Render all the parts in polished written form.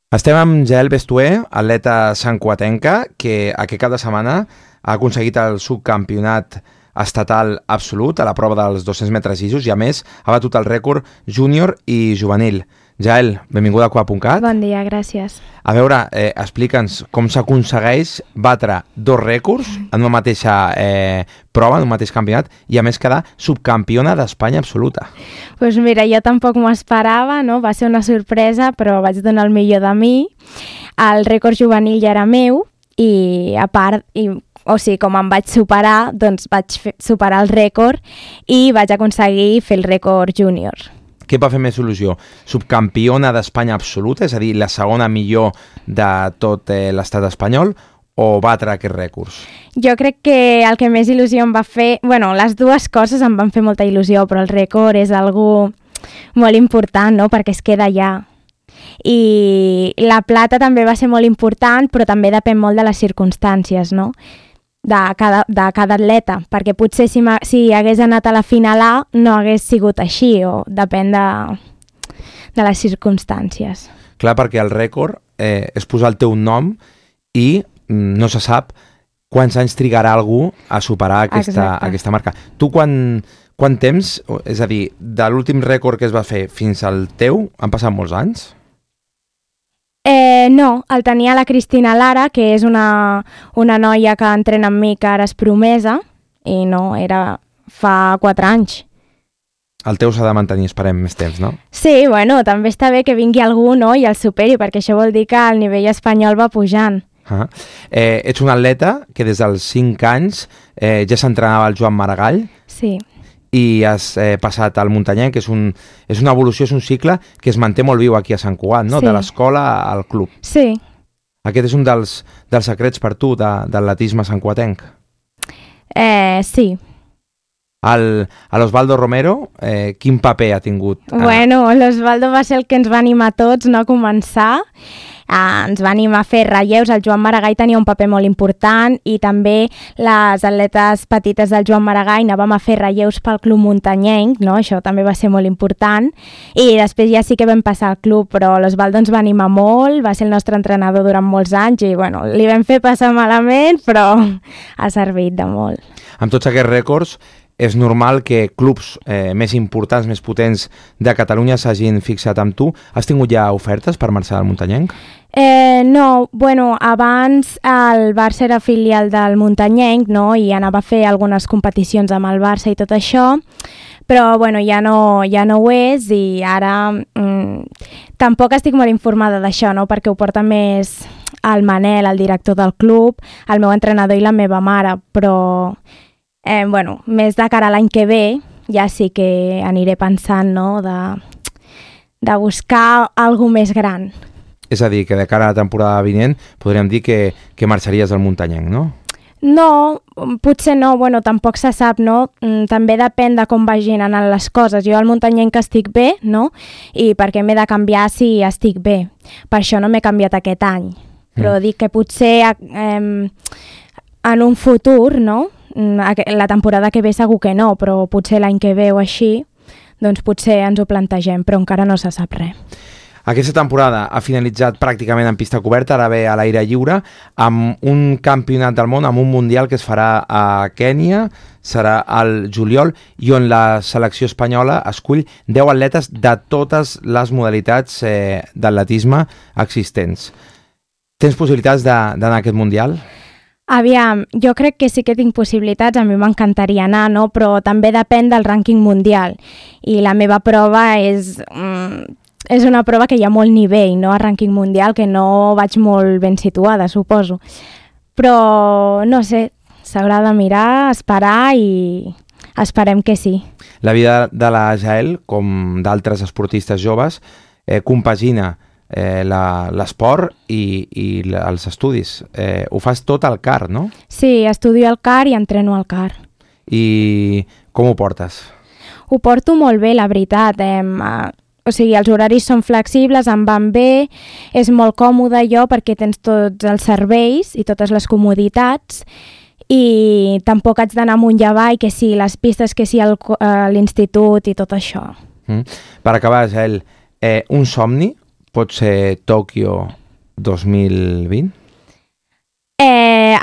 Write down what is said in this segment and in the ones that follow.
Estem amb Jael Bestué, atleta santcugatenca, que aquest cap de setmana ha aconseguit el subcampionat estatal absolut a la prova dels 200 metres llisos i, a més, ha batut el rècord júnior i juvenil. Jael, benvinguda a Cuap.cat. Bon dia, gràcies. A veure, explica'ns com s'aconsegueix batre dos rècords en una mateixa prova, en un mateix campionat, i a més quedar subcampiona d'Espanya absoluta. Doncs mira, jo tampoc m'ho esperava, no? Va ser una sorpresa, però vaig donar el millor de mi. El rècord juvenil ja era meu i, a part, com em vaig superar, doncs vaig superar el rècord i vaig aconseguir fer el rècord júnior. Què va fer més il·lusió? Subcampiona d'Espanya absoluta, és a dir, la segona millor de tot l'estat espanyol, o batre aquests rècords? Jo crec que el que més il·lusió em va fer... Bueno, les dues coses em van fer molta il·lusió, però el rècord és algo molt important, no?, perquè es queda allà. I la plata també va ser molt important, però també depèn molt de les circumstàncies, no?, de cada atleta, perquè potser si hagués anat a la final A no hagués sigut així, o depèn de les circumstàncies. Clar, perquè el rècord és posar el teu nom i no se sap quants anys trigarà algú a superar aquesta marca. Tu quant temps, és a dir, de l'últim rècord que es va fer fins al teu, han passat molts anys? No, el tenia la Cristina Lara, que és una noia que entrena amb mi, que ara és promesa, i no, era fa 4 anys. El teu s'ha de mantenir, esperem, més temps, no? Sí, bueno, també està bé que vingui algú, no?, i el superi, perquè això vol dir que el nivell espanyol va pujant. Ets un atleta que des dels 5 anys ja s'entrenava al Joan Maragall. Sí. I has passat al muntanyenc, que és una evolució, és un cicle que es manté molt viu aquí a Sant Cugat, no? Sí. De l'escola al club. Sí. Aquest és un dels secrets per tu de l'atletisme santcugatenc? Sí. L'Osvaldo Romero, quin paper ha tingut? Bueno, l'Osvaldo va ser el que ens va animar tots, no?, a començar. Ens va animar a fer relleus. El Joan Maragall tenia un paper molt important i també les atletes petites del Joan Maragall anàvem a fer relleus pel club muntanyenc, no? Això també va ser molt important. I després ja sí que vam passar al club, però l'Osvaldo ens va animar molt, va ser el nostre entrenador durant molts anys i bueno, li vam fer passar malament, però ha servit de molt. Amb tots aquests rècords, és normal que clubs més importants, més potents de Catalunya s'hagin fixat amb tu. Has tingut ja ofertes per marxar al muntanyenc? No, bueno, abans el Barça era filial del muntanyenc, no?, i anava a fer algunes competicions amb el Barça i tot això, però bueno, ja no ho és i ara tampoc estic molt informada d'això, no?, perquè ho porta més el Manel, el director del club, el meu entrenador i la meva mare, però... bueno, més de cara a l'any que ve ja sí que aniré pensant, no?, de buscar alguna més gran. És a dir, que de cara a la temporada vinent podríem dir que marxaries al muntanyenc, no? No, potser no, bueno, tampoc se sap, no? També depèn de com vagin anant les coses. Jo al muntanyenc estic bé, no? I perquè m'he de canviar si estic bé. Per això no m'he canviat aquest any. Però dic que potser en un futur, no?, la temporada que ve segur que no, però potser l'any que ve o així, doncs potser ens ho plantegem, però encara no se sap res. Aquesta temporada ha finalitzat pràcticament en pista coberta, ara ve a l'aire lliure, amb un campionat del món, amb un mundial que es farà a Kènia, serà al juliol, i on la selecció espanyola escull 10 atletes de totes les modalitats d'atletisme existents. Tens possibilitats d'anar a aquest mundial? Aviam, jo crec que sí que tinc possibilitats, a mi m'encantaria anar, no?, però també depèn del rànquing mundial. I la meva prova és una prova que hi ha molt nivell, no?, a rànquing mundial, que no vaig molt ben situada, suposo. Però, no sé, s'haurà de mirar, esperar i esperem que sí. La vida de la Jael, com d'altres esportistes joves, compagina l'esport i els estudis. Ho fas tot al CAR, no? Sí, estudio al CAR i entreno al CAR. I com ho portes? Ho porto molt bé, la veritat. O sigui, els horaris són flexibles, em van bé, és molt còmode jo perquè tens tots els serveis i totes les comoditats i tampoc haig d'anar amunt i avall, que sí, les pistes, que sí, l'institut i tot això. Per acabar, Jael, un somni pot ser Tòquio 2020?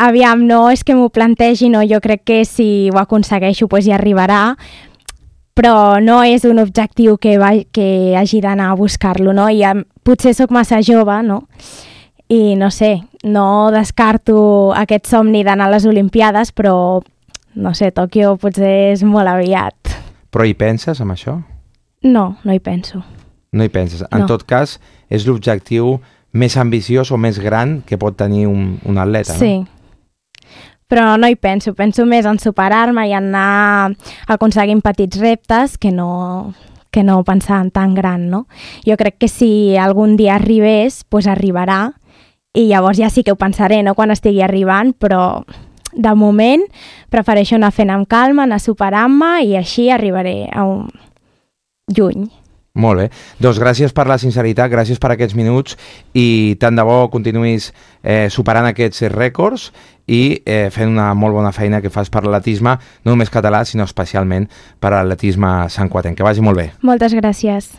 Aviam, no és que m'ho plantegi, no, jo crec que si ho aconsegueixo pues ja arribarà, però no és un objectiu que hagi d'anar a buscar-lo, no? Potser sóc massa jove, no? I no sé, no descarto aquest somni d'anar a les Olimpiades, però no sé, Tòquio potser és molt aviat. Però hi penses, amb això? No, no hi penso. No hi penses. En tot cas, és l'objectiu més ambiciós o més gran que pot tenir un atleta, no? Sí. Però no hi penso. Penso més en superar-me i en anar aconseguint petits reptes que no pensar en tan gran, no? Jo crec que si algun dia arribés, doncs arribarà i llavors ja sí que ho pensaré, no?, quan estigui arribant, però de moment prefereixo anar fent amb calma, anar superant-me i així arribaré a un lluny. Molt bé. Doncs gràcies per la sinceritat, gràcies per aquests minuts i tant de bo continuïs superant aquests rècords i fent una molt bona feina que fas per l'atletisme, no només català, sinó especialment per l'atletisme santcuatenc. Que vagi molt bé. Moltes gràcies.